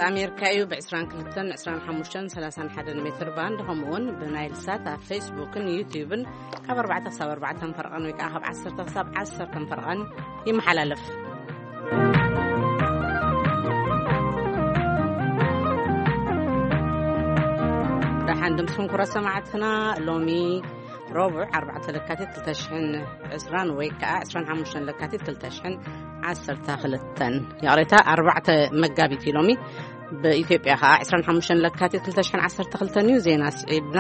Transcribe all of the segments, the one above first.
ኣሜሪካ እዩ። ብ22፣ 25፣ 31 ሜትር ባንድ፣ ከምኡ እውን ብናይል ሳት ኣብ ፌስቡክን ዩቲዩብን ካብ ኣርባዕተ ክሳብ ኣርባዕተ ፈርቐን ወይ ከዓ ካብ ዓሰርተ ክሳብ ዓሰርተ ፈርቐን ይመሓላለፍ። ደሓን ድምፅኩም ክቡራት ሰማዕትና። ሎሚ ረቡዕ ኣርባዕተ ለካቲት ክልተ ሽሕን ዕስራን ወይ ከዓ ዕስራን ሓሙሽተን ለካቲት ክልተ ሽሕን ዓሰርተ ክልተን፣ ይቕሬታ፣ ኣርባዕተ መጋቢት እዩ ሎሚ። ብኢትዮጵያ ከዓ ዕስራን ሓሙሽተን ለካቲት ክልተ ሽሕን ዓሰርተ ክልተን እዩ። ዜና ስዒብና።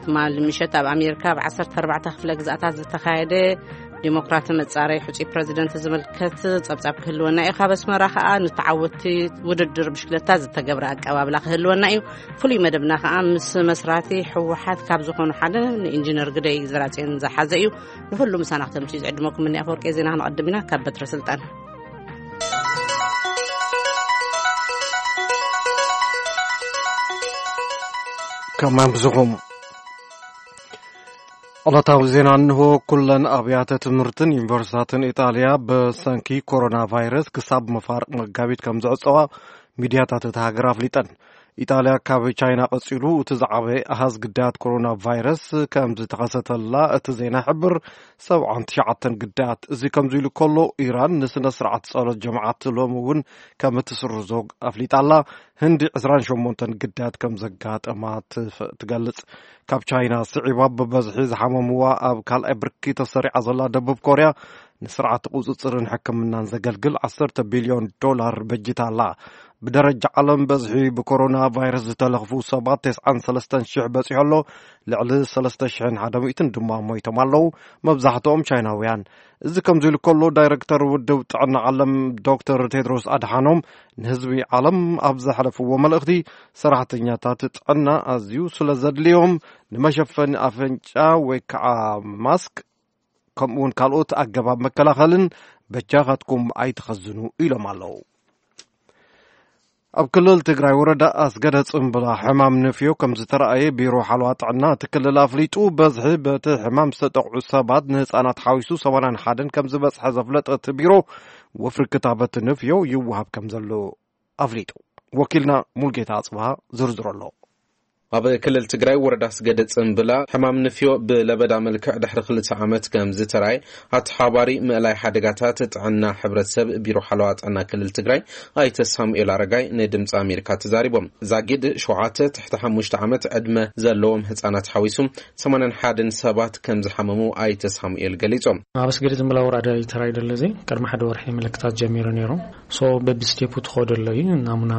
ትማሊ ምሸት ኣብ ኣሜሪካ ብ ዓሰርተ ኣርባዕተ ክፍለ ግዛኣታት ዝተኻየደ ዲሞክራት መጻረይ ሕጹይ ፕረዚደንት ዝምልከት ጸብጻብ ክህልወና እዩ። ካብ ኣስመራ ከኣ ንተዓወትቲ ውድድር ብሽክለታ ዝተገብረ ኣቀባብላ ክህልወና እዩ። ፍሉይ መደብና ከኣ ምስ መስራቲ ህወሓት ካብ ዝኾኑ ሓደ ንኢንጂነር ግደይ ዘራጽዮን ዝሓዘ እዩ። ንኹሉ ምሳና ክተምጽኡ ዝዕድመኩም እኒ ኣፈወርቂ ዜና። ክንቐድም ኢና ካብ በትረ ስልጣን። ከማን ብዝኹም ዕለታዊ ዜና እንሆ። ኩለን ኣብያተ ትምህርትን ዩኒቨርሲታትን ኢጣልያ ብሰንኪ ኮሮና ቫይረስ ክሳብ መፋርቕ መጋቢት ከም ዝዕጸዋ ሚድያታት እታ ሃገር ኣፍሊጠን። ኢጣልያ ካብ ቻይና ቀጺሉ እቲ ዝዓበየ ኣሃዝ ግዳያት ኮሮና ቫይረስ ከም ዝተኸሰተላ እቲ ዜና ይሕብር። ሰብዓን ትሽዓተን ግዳያት። እዚ ከምዚ ኢሉ ከሎ፣ ኢራን ንስነ ስርዓት ጸሎት ጀማዓት ሎሚ እውን ከም እትስርዞ ኣፍሊጣ ኣላ። ህንዲ ዕስራን ሸሞንተን ግዳያት ከም ዘጋጠማ ትፍ-፣ ትገልጽ። ካብ ቻይና ስዒባ ብበዝሒ ዝሓመምዋ ኣብ ካልኣይ ብርኪ ተሰሪዓ ዘላ ደቡብ ኮርያ ንስርዓት ቁጽጽርን ሕክምናን ዘገልግል ዓሰርተ ቢልዮን ዶላር በጅታ ኣላ። ብደረጃ ዓለም በዝሒ ብኮሮና ቫይረስ ዝተለኽፉ ሰባት ተስዓን ሰለስተን ሽሕ በጺሑ ኣሎ። ልዕሊ ሰለስተ ሽሕን ሓደ ሚእትን ድማ ሞይቶም ኣለዉ፣ መብዛሕትኦም ቻይናውያን። እዚ ከምዚ ኢሉ ከሎ፣ ዳይረክተር ውድብ ጥዕና ዓለም ዶክተር ቴድሮስ ኣድሓኖም ንህዝቢ ዓለም ኣብ ዘሕለፍዎ መልእኽቲ፣ ሰራሕተኛታት ጥዕና ኣዝዩ ስለ ዘድልዮም ንመሸፈኒ ኣፍንጫ ወይ ከዓ ማስክ ከምኡ እውን ካልኦት ኣገባብ መከላኸልን በጃኻትኩም ኣይትኸዝኑ ኢሎም ኣለዉ። ኣብ ክልል ትግራይ ወረዳ ኣስገደ ጽምብላ ሕማም ንፍዮ ከም ዝተረኣየ ቢሮ ሓለዋ ጥዕና እቲ ክልል ኣፍሊጡ። በዝሒ በቲ ሕማም ዝተጠቕዑ ሰባት ንህፃናት ሓዊሱ ሰማንያን ሓደን ከም ዝበፅሐ ዘፍለጠ እቲ ቢሮ፣ ወፍሪ ክታበት ንፍዮ ይወሃብ ከም ዘሎ ኣፍሊጡ። ወኪልና ሙልጌታ ኣጽብሃ ዝርዝሮ ኣሎ። ኣብ ክልል ትግራይ ወረዳ ኣስገደ ጽምብላ ሕማም ንፍዮ ብለበዳ መልክዕ ድሕሪ ክልተ ዓመት ከም ዝተራየ ኣተሓባሪ ምእላይ ሓደጋታት ጥዕና ሕብረተሰብ ቢሮ ሓለዋ ጥዕና ክልል ትግራይ ኣይተ ሳሙኤል ኣረጋይ ንድምፂ ኣሜሪካ ተዛሪቦም። ዛጊድ ሸውዓተ ትሕቲ ሓሙሽተ ዓመት ዕድመ ዘለዎም ህፃናት ሓዊሱ ሰማንያን ሓደን ሰባት ከም ዝሓመሙ ኣይተ ሳሙኤል ገሊጾም። ኣብ ኣስገደ ጽምብላ ወረዳ ተራይ ደለዚ ቅድሚ ሓደ ወርሒ ምልክታት ጀሚሩ ነይሩ። ሶ በብስቴፑ ትኸዶ ኣሎ እዩ። ናሙና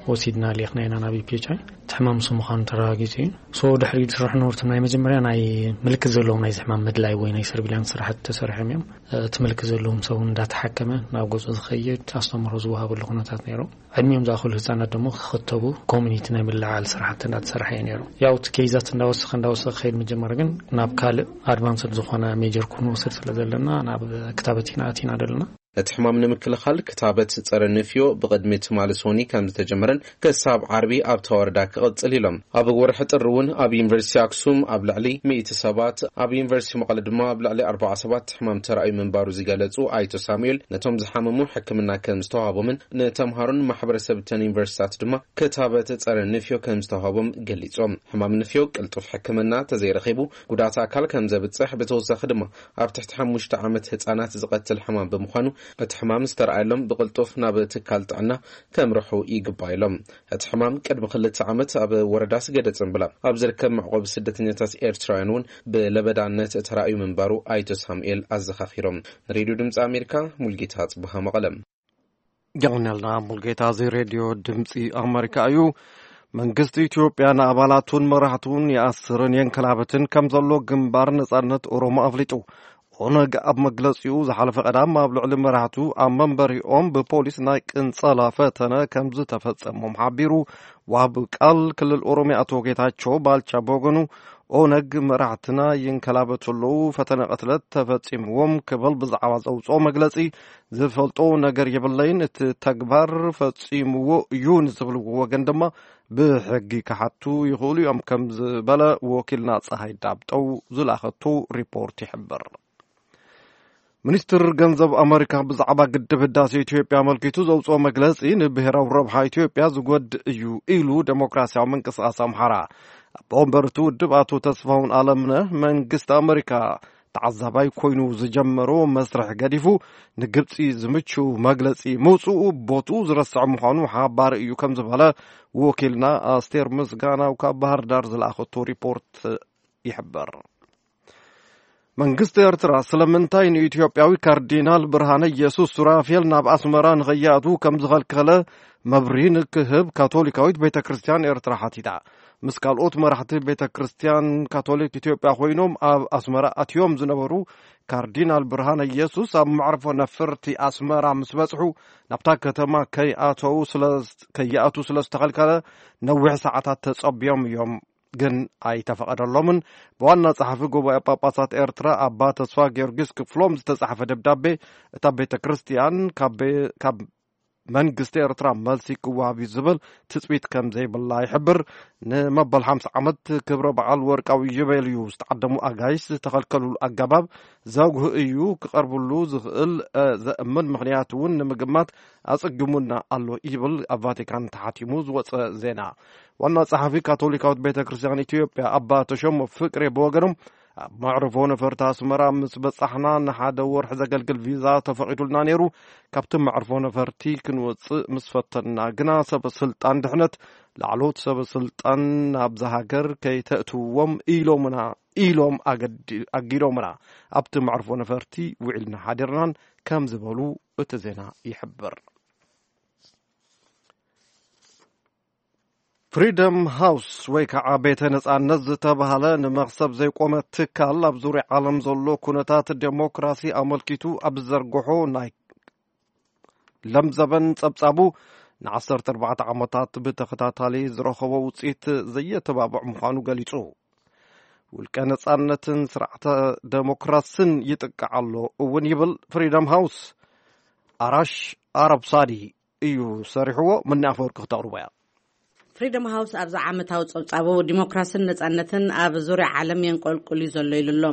ወሲድና ሌኽና ኢና ናብ ፒኤችኣይ። እቲ ሕማም እሱ ምዃኑ ተረጋጊጹ እዩ። ሶ ድሕሪ ዝስራሕ ነበርቱ ናይ መጀመርያ ናይ ምልክት ዘለዎም ናይዚ ሕማም ምድላይ ወይ ናይ ሰርቪላንስ ስራሕቲ ተሰሪሖም እዮም። እቲ ምልክት ዘለዎም ሰብ እውን እንዳተሓከመ ናብ ገጹ ዝኸይድ ኣስተምህሮ ዝወሃበሉ ኩነታት ነይሩ። ዕድሚኦም ዝኣኸሉ ህፃናት ደሞ ክኽተቡ ኮሚኒቲ ናይ ምልዓል ስራሕቲ እንዳተሰርሐ እዩ ነይሩ። ያው እቲ ኬይዛት እንዳወሰኸ እንዳወሰኸ ክኸይድ ምጀመረ ግን ናብ ካልእ ኣድቫንስድ ዝኾነ ሜጀር ክንወስድ ስለ ዘለና ናብ ክታበት ኢና ኣቲና ዘለና። ነቲ ሕማም ንምክልኻል ክታበት ጸረ ንፍዮ ብቕድሚ ትማሊ ሶኒ ከም ዝተጀመረን ክሳብ ዓርቢ ኣብታ ወረዳ ክቕጽል ኢሎም። ኣብ ወርሒ ጥሪ እውን ኣብ ዩኒቨርሲቲ ኣክሱም ኣብ ልዕሊ ሚእቲ ሰባት፣ ኣብ ዩኒቨርሲቲ መቐለ ድማ ኣብ ልዕሊ ኣርባዓ ሰባት ሕማም ተራእዩ ምንባሩ ዝገለጹ ኣይቶ ሳሙኤል፣ ነቶም ዝሓመሙ ሕክምና ከም ዝተዋሃቦምን ንተምሃሮን ማሕበረሰብ እተን ዩኒቨርሲታት ድማ ክታበት ጸረ ንፍዮ ከም ዝተዋሃቦም ገሊጾም። ሕማም ንፍዮ ቅልጡፍ ሕክምና ተዘይረኺቡ ጉዳት ኣካል ከም ዘብጽሕ፣ ብተወሳኺ ድማ ኣብ ትሕቲ ሓሙሽተ ዓመት ህጻናት ዝቐትል ሕማም ብምዃኑ፣ እቲ ሕማም ዝተረኣየሎም ብቕልጡፍ ናብ ትካል ጥዕና ከምርሑ ይግባእ ኢሎም። እቲ ሕማም ቅድሚ ክልተ ዓመት ኣብ ወረዳ ስገደ ጽምብላ ኣብ ዝርከብ መዕቆቢ ስደተኛታት ኤርትራውያን እውን ብለበዳነት ተራእዩ ምንባሩ ኣይቶ ሳሙኤል ኣዘኻኺሮም። ንሬድዮ ድምፂ ኣሜሪካ ሙልጌታ ጽቡሃ መቐለም። የቐንየልና ሙልጌታ። እዚ ሬድዮ ድምፂ ኣሜሪካ እዩ። መንግስቲ ኢትዮጵያ ንኣባላቱን መራሕቱን ይኣስርን የንከላብትን ከም ዘሎ ግንባር ነጻነት ኦሮሞ ኣፍሊጡ። ኦነግ ኣብ መግለጺኡ ዝሓለፈ ቀዳም ኣብ ልዕሊ መራሕቱ ኣብ መንበሪኦም ብፖሊስ ናይ ቅንጸላ ፈተነ ከም ዝተፈጸሞም ሓቢሩ። ዋብ ቃል ክልል ኦሮሚያ ኣቶ ጌታቸው ባልቻ በወገኑ ኦነግ መራሕትና ይንከላበቱ ኣለዉ፣ ፈተነ ቅትለት ተፈጺምዎም ክብል ብዛዕባ ዘውጽኦ መግለጺ ዝፈልጦ ነገር የብለይን፣ እቲ ተግባር ፈጺምዎ እዩ ንዝብልዎ ወገን ድማ ብሕጊ ክሓቱ ይኽእሉ እዮም ከም ዝበለ ወኪልና ፀሃይ ዳብጠው ዝላኸቱ ሪፖርት ይሕብር። ሚኒስትር ገንዘብ ኣመሪካ ብዛዕባ ግድብ ህዳሴ ኢትዮጵያ ኣመልኪቱ ዘውፅኦ መግለፂ ንብሔራዊ ረብሓ ኢትዮጵያ ዝጎድእ እዩ ኢሉ ዴሞክራሲያዊ ምንቅስቃስ ኣምሓራ። ኣቦ ወንበር እቲ ውድብ ኣቶ ተስፋሁን ኣለምነህ መንግስቲ ኣመሪካ ተዓዛባይ ኮይኑ ዝጀመሮ መስርሕ ገዲፉ ንግብፂ ዝምችው መግለፂ ምውፅኡ ቦትኡ ዝረስዕ ምዃኑ ሓባሪ እዩ ከም ዝበለ ወኪልና ኣስቴር ምስጋናው ካብ ባህር ዳር ዝለኣኸቶ ሪፖርት ይሕብር። መንግስቲ ኤርትራ ስለምንታይ ንኢትዮጵያዊ ካርዲናል ብርሃነ ኢየሱስ ሱራፌል ናብ ኣስመራ ንኸይኣትዉ ከም ዝኸልከለ መብርሂ ንክህብ ካቶሊካዊት ቤተ ክርስቲያን ኤርትራ ሓቲታ። ምስ ካልኦት መራሕቲ ቤተ ክርስቲያን ካቶሊክ ኢትዮጵያ ኮይኖም ኣብ ኣስመራ ኣትዮም ዝነበሩ ካርዲናል ብርሃነ ኢየሱስ ኣብ መዕርፎ ነፈርቲ ኣስመራ ምስ በጽሑ ናብታ ከተማ ከይኣተዉ ስለ ከይኣቱ ስለ ዝተኸልከለ ነዊሕ ሰዓታት ተጸብዮም እዮም። ግን ኣይተፈቐደሎምን። ብዋና ጸሓፊ ጉባኤ ጳጳሳት ኤርትራ ኣባ ተስፋ ጊዮርጊስ ክፍሎም ዝተጻሕፈ ደብዳቤ እታ ቤተ ክርስቲያን ካብ ቤ- ካብ መንግስቲ ኤርትራ መልሲ ክወሃብ እዩ ዝብል ትጽቢት ከም ዘይብላ ይሕብር። ንመበል ሓምሳ ዓመት ክብረ በዓል ወርቃዊ ዩቤል እዩ ዝተዓደሙ ኣጋይሽ ዝተኸልከሉሉ ኣገባብ ዘጉህ እዩ። ክቐርብሉ ዝኽእል እ፣ ዘእምን ምኽንያት እውን ንምግማት ኣጸጊሙና ኣሎ ይብል ኣብ ቫቲካን ተሓቲሙ ዝወጸ ዜና። ዋና ጸሓፊ ካቶሊካዊት ቤተ ክርስቲያን ኢትዮጵያ ኣባ ተሾመ ፍቅሬ ብወገኖም ኣብ መዕርፎ ነፈርቲ ኣስመራ ምስ በጻሕና ንሓደ ወርሒ ዘገልግል ቪዛ ተፈቒዱልና ነይሩ። ካብቲ መዕርፎ ነፈርቲ ክንወጽእ ምስ ፈተንና ግና ሰበ ስልጣን ድሕነት ላዕሎት ሰበ ስልጣን ናብዛ ሃገር ከይተእትውዎም ኢሎምና ኢሎም ኣገዲ- ኣጊዶምና ኣብቲ መዕርፎ ነፈርቲ ውዒልና ሓዲርናን ከም ዝበሉ እቲ ዜና ይሕብር። ፍሪደም ሃውስ ወይ ከዓ ቤተ ነጻነት ዝተባህለ ንመኽሰብ ዘይቆመ ትካል ኣብ ዙርያ ዓለም ዘሎ ኩነታት ዴሞክራሲ ኣመልኪቱ ኣብ ዝዘርግሖ ናይ ለምዘበን ጸብጻቡ ንዓሰርተ ኣርባዕተ ዓመታት ብተኸታታሊ ዝረኸቦ ውጽኢት ዘየተባብዕ ምዃኑ ገሊጹ። ውልቀ ነጻነትን ስርዓተ ዴሞክራስን ይጥቃዕ ኣሎ እውን ይብል ፍሪደም ሃውስ። ኣራሽ ኣረብ ሳዲ እዩ ሰሪሕዎ። ምኒ ኣፈወርቂ ክተቕርቦ እያ። ፍሪደም ሃውስ ኣብዚ ዓመታዊ ጸብጻቡ ዲሞክራስን ነጻነትን ኣብ ዙርያ ዓለም የንቆልቁል እዩ ዘሎ ኢሉ ኣሎ።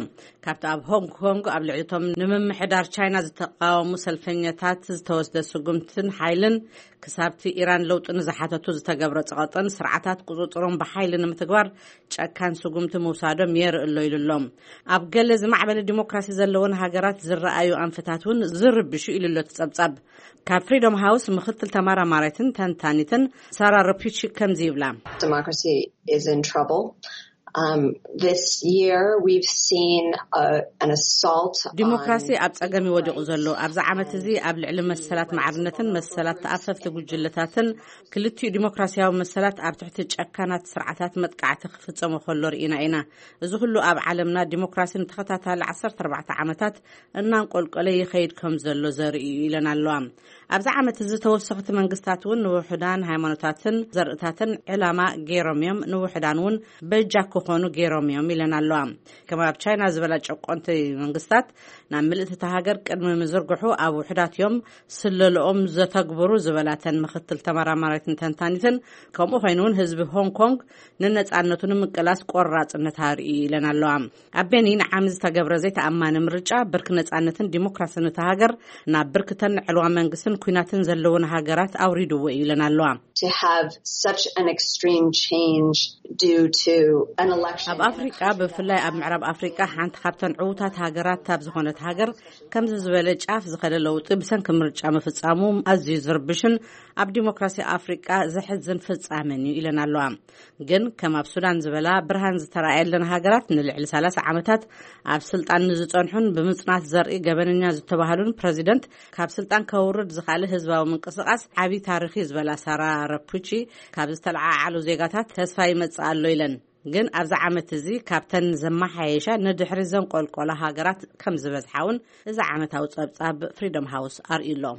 ካብቲ ኣብ ሆንግ ኮንግ ኣብ ልዕሊ እቶም ንምምሕዳር ቻይና ዝተቃወሙ ሰልፈኛታት ዝተወስደ ስጉምትን ሓይልን ክሳብቲ ኢራን ለውጢ ንዝሓተቱ ዝተገብረ ጸቐጥን ስርዓታት ቁጽጽሮም ብሓይሊ ንምትግባር ጨካን ስጉምቲ ምውሳዶም የርኢ ኣሎ ኢሉ ኣሎ። ኣብ ገለ ዝማዕበለ ዲሞክራሲ ዘለወን ሃገራት ዝረኣዩ ኣንፈታት እውን ዝርብሹ ኢሉ ኣሎ እቲ ጸብጻብ። ካብ ፍሪደም ሃውስ ምክትል ተመራማሪትን ተንታኒትን ሳራ ረፒቺ ከምዚ ይብላ። Democracy is in trouble. Um, this year we've seen uh, an assault. ዲሞክራሲ ኣብ ጸገም ይወዲቑ ዘሎ ኣብዚ ዓመት እዚ ኣብ ልዕሊ መሰላት ማዕርነትን መሰላት ተኣፈፍቲ ጉጅለታትን ክልቲኡ ዲሞክራሲያዊ መሰላት ኣብ ትሕቲ ጨካናት ስርዓታት መጥቃዕቲ ክፍጸሙ ከሎ ርኢና ኢና። እዚ ኩሉ ኣብ ዓለምና ዲሞክራሲ ንተኸታታሊ ዓሰርተ ኣርባዕተ ዓመታት እናንቆልቆለ ይኸይድ ከም ዘሎ ዘርኢ እዩ ኢለን ኣለዋ። ኣብዚ ዓመት እዚ ተወሰኽቲ መንግስታት እውን ንውሑዳን ሃይማኖታትን ዘርእታትን ዕላማ ገይሮም እዮም፣ ንውሑዳን እውን በጃ ክኾኑ ገይሮም እዮም ኢለን ኣለዋ። ከም ኣብ ቻይና ዝበላ ጨቆንቲ መንግስታት ናብ ምልእቲ እታ ሃገር ቅድሚ ምዝርግሑ ኣብ ውሑዳት እዮም ስለልኦም ዘተግብሩ ዝበላተን ምክትል ተመራማሪትን ተንታኒትን፣ ከምኡ ኮይኑ እውን ህዝቢ ሆንግ ኮንግ ንነጻነቱ ንምቅላስ ቆራጽነት ኣርኢ ኢለን ኣለዋ። ኣብ ቤኒን ዓሚ ዝተገብረ ዘይተኣማኒ ምርጫ ብርኪ ነጻነትን ዲሞክራስን እታ ሃገር ናብ ብርክተን ዕልዋ መንግስትን ኩናትን ዘለውን ሃገራት ኣውሪድዎ እዩ ኢለን ኣለዋ። To have such an extreme change due to an election ኣብ in a ኣፍሪቃ country that ብፍላይ ኣብ ምዕራብ ኣፍሪቃ ሓንቲ ካብተን ዕዉታት ሃገራት ኣብ ዝኾነት ሃገር ከምዚ ዝበለ ጫፍ ዝኸደ ለውጢ ብሰንኪ ምርጫ ምፍጻሙ ኣዝዩ ዝርብሽን ኣብ ዲሞክራሲ ኣፍሪቃ ዘሕዝን ፍጻመን እዩ ኢለን ኣለዋ። ግን ከም ኣብ ሱዳን ዝበላ ብርሃን ዝተራእየለን ሃገራት ንልዕሊ ሰላሳ ዓመታት ኣብ ስልጣን ንዝጸንሑን ብምጽናት ዘርኢ ገበነኛ ዝተባህሉን ፕረዚደንት ካብ ስልጣን ከውርድ ዝኸኣለ ህዝባዊ ምንቅስቃስ ዓቢ ታሪኽ እዩ ዝበላ ሳራ ረፑቺ፣ ካብ ዝተለዓዓሉ ዜጋታት ተስፋ ይመጽእ ኣሎ ኢለን። ግን ኣብዚ ዓመት እዚ ካብተን ዘመሓየሻ ንድሕሪ ዘንቆልቆላ ሃገራት ከም ዝበዝሓ እውን እዚ ዓመታዊ ጸብጻብ ፍሪደም ሃውስ ኣርእዩ ኣሎ።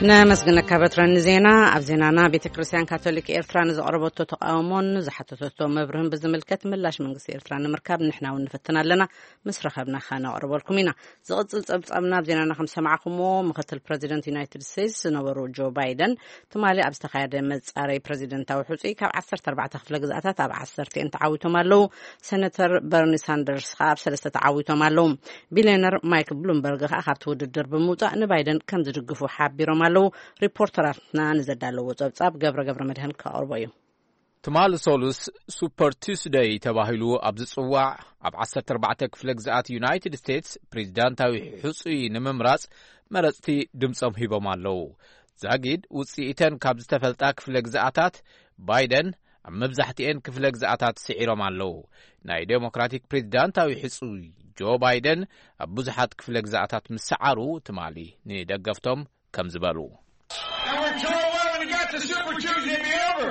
ነመስግነካ በትረ ንዜና። ኣብ ዜናና፣ ቤተ ክርስቲያን ካቶሊክ ኤርትራ ንዘቕረበቶ ተቃውሞን ዝሓተተቶ መብርህን ብዝምልከት ምላሽ መንግስቲ ኤርትራ ንምርካብ ንሕና እውን ንፍትን ኣለና። ምስ ረኸብና ከነቕርበልኩም ኢና። ዝቕጽል ጸብጻብና፣ ኣብ ዜናና ከም ሰማዕኩሞ፣ ምክትል ፕረዚደንት ዩናይትድ ስቴትስ ዝነበሩ ጆ ባይደን ትማሊ ኣብ ዝተኻየደ መጻረይ ፕረዚደንታዊ ሕጹይ ካብ ዓሰርተ ኣርባዕተ ክፍለ ግዝኣታት ኣብ ዓሰርተ ተዓዊቶም ኣለዉ። ሴነተር በርኒ ሳንደርስ ከኣ ኣብ ሰለስተ ተዓዊቶም ኣለዉ። ቢልዮነር ማይክ ብሉምበርግ ከኣ ካብቲ ውድድር ብምውጻእ ንባይደን ከም ዝድግፉ ሓቢሮም ኣለዉ። ሪፖርተራትና ንዘዳለዎ ጸብጻብ ገብረ ገብረ መድህን ከቕርቦ እዩ። ትማሊ ሶሉስ ሱፐር ቱስደይ ተባሂሉ ኣብ ዝጽዋዕ፣ ኣብ ዓሰርተ ኣርባዕተ ክፍለ ግዝኣት ዩናይትድ ስቴትስ ፕሬዚዳንታዊ ሕጹይ ንምምራጽ መረጽቲ ድምጾም ሂቦም ኣለዉ። ዛጊድ ውጽኢተን ካብ ዝተፈልጣ ክፍለ ግዝኣታት፣ ባይደን ኣብ መብዛሕትኤን ክፍለ ግዝኣታት ስዒሮም ኣለዉ። ናይ ዴሞክራቲክ ፕሬዚዳንታዊ ሕጹይ ጆ ባይደን ኣብ ብዙሓት ክፍለ ግዝኣታት ምስ ሰዓሩ፣ ትማሊ ንደገፍቶም ከም ዝበሉ። And we're told, "Well, when it got to Super Tuesday, it'd be over."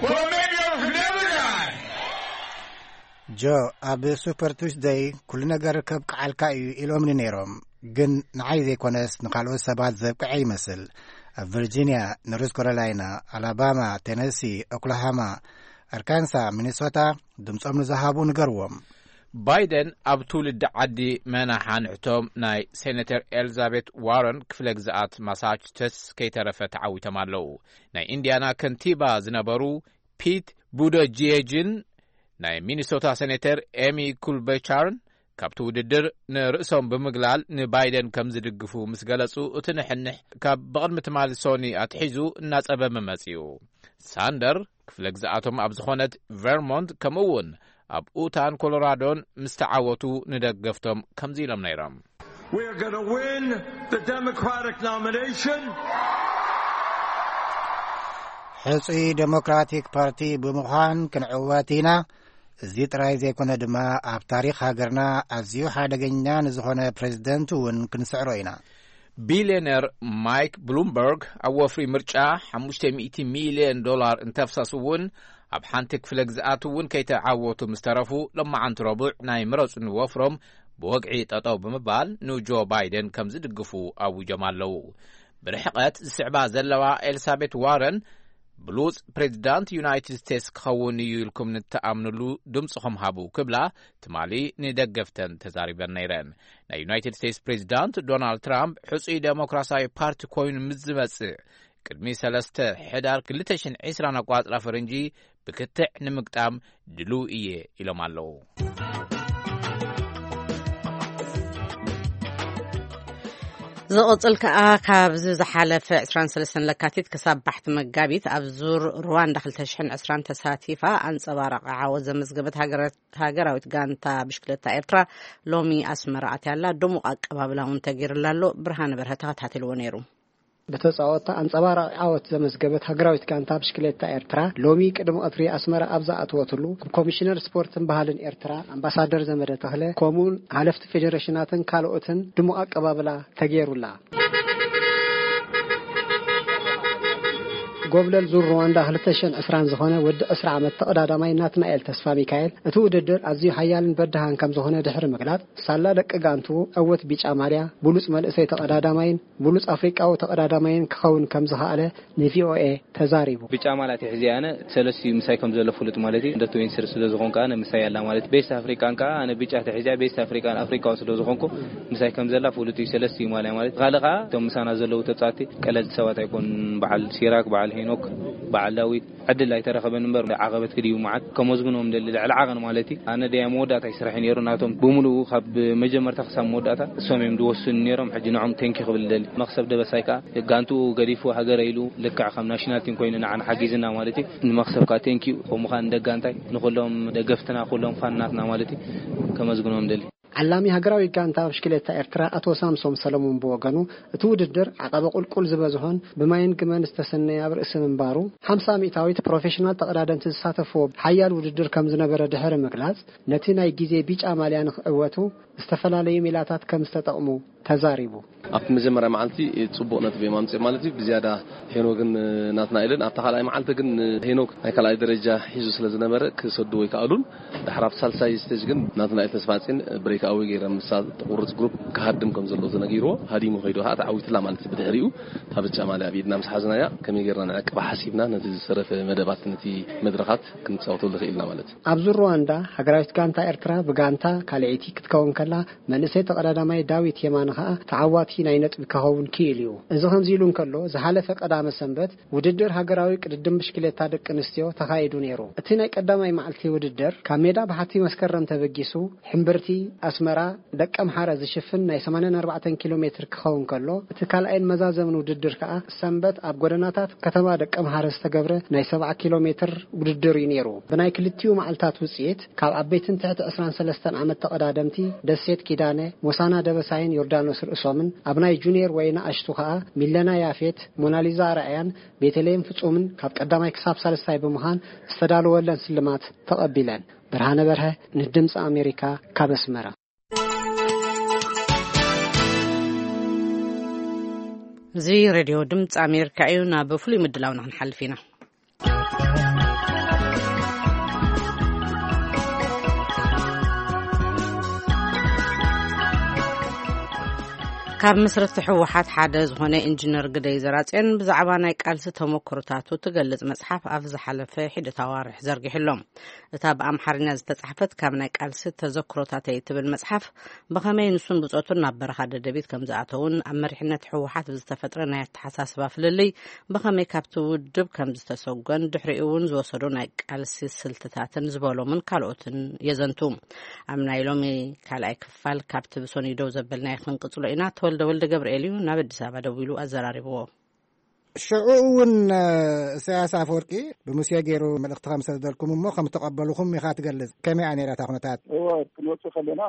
Well, it may be over for the other guy. ጆ፣ ኣብ ሱፐር ቱስደይ ኩሉ ነገር ከብቅዓልካ እዩ ኢሎምኒ ነይሮም። ግን ንዓይ ዘይኮነስ ንኻልኦት ሰባት ዘብቅዐ ይመስል። ኣብ ቨርጂንያ፣ ኖርዝ ካሮላይና፣ ኣላባማ፣ ቴነሲ፣ ኦክላሃማ፣ ኣርካንሳ፣ ሚኒሶታ ድምጾም ንዝሃቡ ንገርዎም። ባይደን ኣብ ትውልዲ ዓዲ መናሓ ንሕቶም ናይ ሴኔተር ኤልዛቤት ዋረን ክፍለ ግዝኣት ማሳቹሴትስ ከይተረፈ ተዓዊቶም ኣለዉ። ናይ ኢንዲያና ከንቲባ ዝነበሩ ፒት ቡደጂየጅን ናይ ሚኒሶታ ሴኔተር ኤሚ ኩልበቻርን ካብቲ ውድድር ንርእሶም ብምግላል ንባይደን ከም ዝድግፉ ምስ ገለጹ፣ እቲ ንሕንሕ ካብ ብቕድሚ ትማሊ ሶኒ ኣትሒዙ እናጸበመ መጺኡ። ሳንደር ክፍለ ግዝኣቶም ኣብ ዝኾነት ቨርሞንት፣ ከምኡ እውን ኣብ ኡታን ኮሎራዶን ምስ ተዓወቱ፣ ንደገፍቶም ከምዚ ኢሎም ነይሮም። We are gonna win the Democratic nomination. ሕጹይ ዴሞክራቲክ ፓርቲ ብምዃን ክንዕወት ኢና። እዚ ጥራይ ዘይኮነ ድማ፣ ኣብ ታሪኽ ሃገርና ኣዝዩ ሓደገኛ ንዝኾነ ፕሬዚደንት እውን ክንስዕሮ ኢና። ቢልዮነር ማይክ ብሉምበርግ ኣብ ወፍሪ ምርጫ ሓሙሽተ ሚእቲ ሚልዮን ዶላር እንተፍሰስ እውን፣ ኣብ ሓንቲ ክፍለ ግዝኣት እውን ከይተዓወቱ ምስ ተረፉ፣ ሎማዓንቲ ረቡዕ ናይ ምረጹኒ ወፍሮም ብወግዒ ጠጠው ብምባል ንጆ ባይደን ከም ዝድግፉ ኣዊጆም ኣለዉ። ብርሕቐት ዝስዕባ ዘለዋ ኤልሳቤት ዋረን፣ ብሉጽ ፕሬዚዳንት ዩናይትድ ስቴትስ ክኸውን እዩ ኢልኩም ንተኣምንሉ ድምጽኹም ሃቡ ክብላ ትማሊ ንደገፍተን ተዛሪበን ነይረን። ናይ ዩናይትድ ስቴትስ ፕሬዚዳንት ዶናልድ ትራምፕ ሕጹይ ዴሞክራሲያዊ ፓርቲ ኮይኑ ምስ ዝመጽእ፣ ቅድሚ ሰለስተ ሕዳር ክልተ ሽሕን ዕስራን ኣቋጽራ ፈረንጂ ብክትዕ ንምግጣም ድሉው እየ ኢሎም ኣለዉ። ዝቕጽል ከኣ፣ ካብዚ ዝሓለፈ ዕስራን ሰለስተን ለካቲት ክሳብ ባሕቲ መጋቢት ኣብ ዙር ሩዋንዳ ክልተ ሽሕን ዕስራን ተሳቲፋ ኣንጸባራቒ ዓወት ዘመዝገበት ሃገረ-፣ ሃገራዊት ጋንታ ብሽክለታ ኤርትራ ሎሚ ኣስመራ ኣትያ ኣላ። ድሙቕ ኣቀባብላ እውን ተገይሩላ ኣሎ። ብርሃነ በርሀ ተኸታቲልዎ ነይሩ። ብተጻወትታ ኣንጸባራቒ ዓወት ዘመዝገበት ሃገራዊት ጋንታ ብሽክሌታ ኤርትራ፣ ሎሚ ቅድሚ ቀትሪ ኣስመራ ኣብ ዝኣተወትሉ፣ ብኮሚሽነር ስፖርትን ባህልን ኤርትራ ኣምባሳደር ዘመደ ተኽለ፣ ከምኡውን ሓለፍቲ ፌዴሬሽናትን ካልኦትን ድሙቕ ኣቀባብላ ተገይሩላ። ጎብለል ዙር ሩዋንዳ ክልተ ሽሕን ዕስራን ዝኾነ ወዲ ዕስራ ዓመት ተቐዳዳማይ ናትናኤል ተስፋ ሚካኤል፣ እቲ ውድድር ኣዝዩ ሓያልን በዳሃን ከም ዝኾነ ድሕሪ ምግላጽ፣ ሳላ ደቂ ጋንቱ ዕውት ቢጫ ማልያ፣ ብሉጽ መንእሰይ ተቐዳዳማይን ብሉጽ ኣፍሪቃዊ ተቐዳዳማይን ክኸውን ከም ዝኸኣለ ንቪኦኤ ተዛሪቡ። ብጫ ማልያ ኣትሒዘ ኣነ፣ ሰለስቲኡ ምሳይ ከም ዘሎ ፍሉጥ ማለት እዩ። እንደ ትዌንቲ ስሪ ስለ ዝኾንኩ ኣነ ምሳይ ኣላ ማለት እዩ። ቤስት ኣፍሪቃን ከኣ ኣነ ብጫ ኣትሒዘ፣ ቤስት ኣፍሪቃን ኣፍሪቃውን ስለ ዝኾንኩ ምሳይ ከም ዘላ ፍሉጥ እዩ። ሰለስቲኡ ማልያ ማለት እዩ። ካልእ ከኣ እቶም ምሳና ዘለዉ ተጻወትቲ ቀለልቲ ሰባት ኣይኮኑን። በዓል ሲራክ፣ በዓል ሄኖክ፣ በዓል ዳዊት፣ ዕድል ኣይተረኸበን እምበር፣ ዓቐበት ክድዩ መዓት ከመዝግኖም ደሊ ልዕሊ ዓቐን ማለት እዩ። ኣነ ደያ መወዳእታ ይስራሕ ነይሩ፣ ናቶም ብምሉኡ ካብ መጀመርታ ክሳብ መወዳእታ እሶም እዮም ዝወስኑ ነይሮም። ሕጂ ንዖም ቴንኪ ክብል ደሊ። መኽሰብ ደበሳይ ከኣ ጋንቱ ገዲፉ ሃገረ ኢሉ ልክዕ ከም ናሽናል ቲም ኮይኑ ንዓና ሓጊዝና ማለት እዩ። ንመኽሰብ ከኣ ቴንኪ ከምኡ ከኣ ንደጋንታይ ንኩሎም ደገፍትና ኩሎም ፋናትና ማለት እዩ ከመዝግኖም ደሊ። ዓላሚ ሃገራዊ ጋንታ ብሽክሌታ ኤርትራ ኣቶ ሳምሶም ሰለሙን ብወገኑ፣ እቲ ውድድር ዓቐበ ቁልቁል ዝበዝሖን ብማይን ግመን ዝተሰነየ ኣብ ርእሲ ምንባሩ፣ ሓምሳ ሚእታዊት ፕሮፌሽናል ተቐዳደምቲ ዝሳተፍዎ ሓያል ውድድር ከም ዝነበረ ድሕሪ ምግላጽ፣ ነቲ ናይ ግዜ ቢጫ ማልያ ንኽዕወቱ ዝተፈላለዩ ሜላታት ከም ዝተጠቕሙ ተዛሪቡ። ኣብቲ መጀመርያ መዓልቲ ጽቡቕ ነጥቢ እዮም ኣምጺኦም ማለት እዩ። ብዝያዳ ሄኖግን ናትናኤልን፣ ኣብታ ካልኣይ መዓልቲ ግን ሄኖግ ናይ ካልኣይ ደረጃ ሒዙ ስለ ዝነበረ ክሰድዎ ኣይከኣሉን። ድሕሪ ኣብቲ ሳልሳይ ስቴጅ ግን ናትናኤል ተስፋጽዮን ብሬክ ኣወይ ገይሮም፣ ምሳ ተቑርጽ ግሩፕ ክሃድም ከም ዘለዎ ተነጊርዎ ሃዲሙ ከይዱ፣ ከዓ ተዓዊትላ ማለት እዩ። ብድሕሪኡ እታ ብጫ ማልያ ኣብ ኢድና ምስ ሓዝናያ፣ ከመይ ጌርና ንዕቅባ ሓሲብና፣ ነቲ ዝተረፈ መደባት፣ ነቲ መድረኻት ክንጻወተሉ ክኢልና ማለት እዩ። ኣብዚ ሩዋንዳ፣ ሃገራዊት ጋንታ ኤርትራ ብጋንታ ካልኣይቲ ክትከውን ከላ፣ መንእሰይ ተቐዳዳማይ ዳዊት የማነ ከኣ ተዓዋቲ ናይ ነጥቢ ክኸውን ክኢሉ እዩ። እዚ ከምዚ ኢሉ እንከሎ፣ ዝሓለፈ ቀዳመ ሰንበት ውድድር ሃገራዊ ቅድድም ብሽክሌታ ደቂ ኣንስትዮ ተኻይዱ ነይሩ። እቲ ናይ ቀዳማይ መዓልቲ ውድድር ካብ ሜዳ በሓቲ መስከረም ተበጊሱ፣ ሕምብርቲ ኣስመራ ደቀምሓረ ዝሽፍን ናይ ሰማንያን ኣርባዕተን ኪሎ ሜትር ክኸውን ከሎ፣ እቲ ካልኣይን መዛዘምን ውድድር ከኣ ሰንበት ኣብ ጎደናታት ከተማ ደቀምሓረ ዝተገብረ ናይ ሰብዓ ኪሎ ሜትር ውድድር እዩ ነይሩ። ብናይ ክልቲኡ መዓልታት ውጽኢት፣ ካብ ዓበይትን ትሕቲ ዕስራን ሰለስተን ዓመት ተቐዳደምቲ ደሴት ኪዳነ፣ ሞሳና ደበሳይን ዮርዳኖስ ርእሶምን፣ ኣብ ናይ ጁኒየር ወይ ንኣሽቱ ከኣ ሚለና ያፌት፣ ሞናሊዛ ኣርኣያን ቤተልሔም ፍጹምን ካብ ቀዳማይ ክሳብ ሳልስታይ ብምዃን ዝተዳለወለን ስልማት ተቐቢለን። ብርሃነ በርሀ ንድምፂ ኣሜሪካ ካብ ኣስመራ። እዚ ሬድዮ ድምፂ ኣሜሪካ እዩ። ናብ ፍሉይ ምድላውና ክንሓልፍ ኢና። ካብ መስረቲ ህወሓት ሓደ ዝኾነ ኢንጂነር ግደይ ዘራጽዮን ብዛዕባ ናይ ቃልሲ ተመክሮታቱ ትገልጽ መጽሓፍ ኣብ ዝሓለፈ ሒደት ኣዋርሕ ዘርጊሕሎም። እታ ብኣምሓርኛ ዝተጻሕፈት ካብ ናይ ቃልሲ ተዘክሮታተይ ትብል መጽሓፍ፣ ብኸመይ ንሱን ብጾቱን ናብ በረኻ ደደቢት ከም ዝኣተውን፣ ኣብ መሪሕነት ህወሓት ብዝተፈጥረ ናይ ኣተሓሳስባ ፍልልይ ብኸመይ ካብቲ ውድብ ከም ዝተሰጎን፣ ድሕሪኡ እውን ዝወሰዶ ናይ ቃልሲ ስልትታትን ዝበሎምን ካልኦትን የዘንቱ። ኣብ ናይ ሎሚ ካልኣይ ክፋል ካብቲ ብሰኑይ ደው ዘበልናዮ ክንቅጽሎ ኢና። ተወልደ ወልደ ገብርኤል እዩ ናብ ኣዲስ ኣበባ ደዊሉ ኣዘራሪብዎ። ሽዑ እውን፣ እ፣ ኢሳያስ ኣፈወርቂ ብሙሴ ገይሩ መልእኽቲ ከም ሰደልኩም እሞ ከም ተቐበልኹም ኢኻ ትገልጽ። ከመይ እያ ነይራ እታ ኩነታት? እወ፣ ክንወጽእ ከለና፣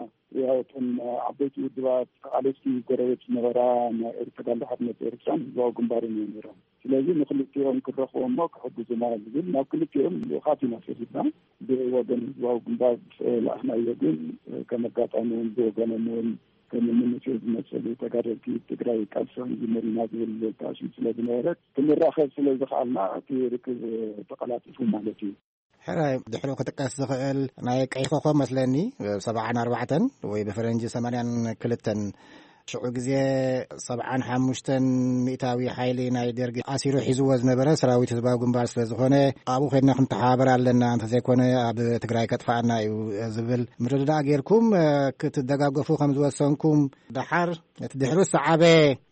ያው፣ እተን ዓበይቲ ውድባት ተቓለስቲ ጎረቤት ዝነበራ ናይ ኤርትራ፣ ተጋድሎ ሓርነት ኤርትራን ህዝባዊ ግንባርን እዮም ነይሮም። ስለዚ ንክልቲኦም ክረኽቦ እሞ ክሕግዙና ዝብል ናብ ክልቲኦም ልኡኻት ኢና ሰዲድና። ብወገን ህዝባዊ ግንባር፣ እ፣ ለኣኽናዮ ግን፣ እ፣ ከም ኣጋጣሚ እውን ብወገኖም እውን ከም እኒ ሙሴ ዝመሰሉ ተጋደልቲ ትግራይ ቃልሲ ክንጅምር ኢና ዝብል ተኣስዩ ስለ ዝነበረ፣ ክንራኸብ ስለ ዝኸኣልና እቲ ርክብ ተቐላጢፉ ማለት እዩ። ሕራይ፣ ድሕሪኡ ክጥቀስ ዝኽእል ናይ ቀይ ኮኸብ መስለኒ፣ ሰብዓን ኣርባዕተን ወይ ብፈረንጂ ሰማንያን ክልተን፣ ሽዑ ግዜ ሰብዓን ሓሙሽተን ሚእታዊ ሓይሊ ናይ ደርጊ ኣሲሩ ሒዝዎ ዝነበረ ሰራዊት ህዝባዊ ግንባር ስለ ዝኾነ፣ ኣብኡ ኸድና ክንተሓባበር ኣለና፣ እንተዘይኮነ ኣብ ትግራይ ከጥፍኣና እዩ ዝብል ምርድዳእ ጌርኩም፣ እ፣ ክትደጋገፉ ከም ዝወሰንኩም፣ ደሓር እቲ ድሕሩ ዝሰዓበ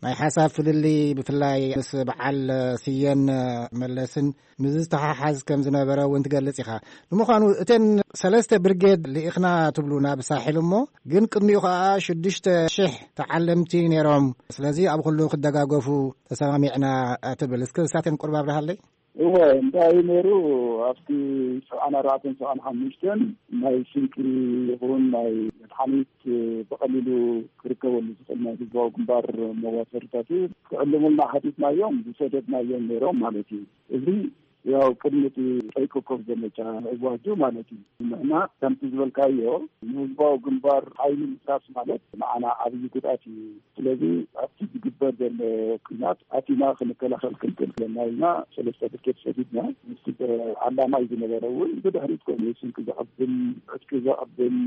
ናይ ሓሳብ ፍልልይ፣ ብፍላይ ምስ በዓል ስየን መለስን ምስ ዝተሓሓዝ ከም ዝነበረ እውን ትገልጽ ኢኻ። ንምዃኑ እተን ሰለስተ ብርጌድ ልኢኽና ትብሉ ናብ ሳሕል እሞ፣ ግን ቅድሚኡ ኸኣ ሽዱሽተ ሽሕ ተዓለምቲ ነይሮም። ስለዚ ኣብ ኩሉ ክደጋገፉ ተሰማሚዕና ትብል። እስከ እሳተን ቁርብ ኣብርሃለይ። እወ፣ እንታይ እዩ ነይሩ? ኣብቲ ሰብዓን ኣርባዕተን ሰብዓን ሓሙሽተን ናይ ስንቂ ይኹን ናይ መድሓኒት ብቐሊሉ ክርከበሉ ዝኽእል ናይ ህዝባዊ ግንባር መዋፈሪታት እዩ። ክዕልሙልና ሓቲትናዮም፣ ዝሰደድናዮም ነይሮም ማለት እዩ። እዚ ያው ቅድሚ እቲ ቀይ ኮከብ ዘመቻ ምእዋጁ ማለት እዩ። ንሕና ከምቲ ዝበልካዮ ንህዝባዊ ግንባር ሓይሊ ምፍራስ ማለት ንዓና ዓብዪ ጉድኣት እዩ። ስለዚ ኣብቲ ዝግበር ዘሎ ኲናት ኣቲና ክንከላኸል ክንክእል ዘለና ኢልና ሰለስተ ብርጌድ ሰዲድና። ምስቲ ዓላማ እዩ ዝነበረ እውን ብድሕሪት ኮይኑ ስንቂ ዘቐብል፣ ዕጥቂ ዘቐብል፣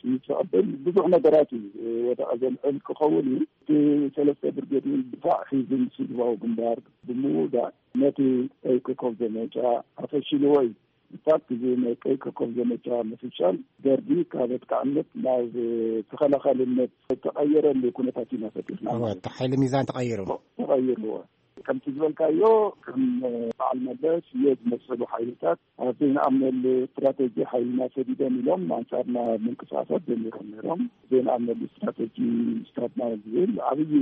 ጥይት ዘቐብል ብዙሕ ነገራት እዩ ወደቐ ዘልዕል ክኸውን እዩ። እቲ ሰለስተ ብርጌድ እውን ድፋዕ ሒዙ ምስ ህዝባዊ ግንባር ብምውዳእ ነቲ ቀይ ኮከብ ዘመቻ ኣፈሽልዎ እዩ። ብፋክት እዚ ናይ ቀይ ኮከብ ዘመቻ ምፍሻል ደርጊ ካብ ኣጥቃዕነት ናብ ተኸላኻልነት ዝተቐየረሉ ኩነታት ኢና ፈጢርና እወ፣ ማለት እቲ ሓይሊ ሚዛን ተቐይሩ። ተቐይሩ። ከምቲ ዝበልካዮ፣ ከም በዓል መለስ እየ ዝመሰሉ ሓይልታት ኣብ ዘይንኣምነሉ ስትራተጂ ሓይልና ሰዲዶም ኢሎም ኣንጻርና ምንቅስቃሳት ጀሚሮም ነይሮም። ዘይንኣምነሉ ስትራተጂ ስታትና ዝብል ዓብዪ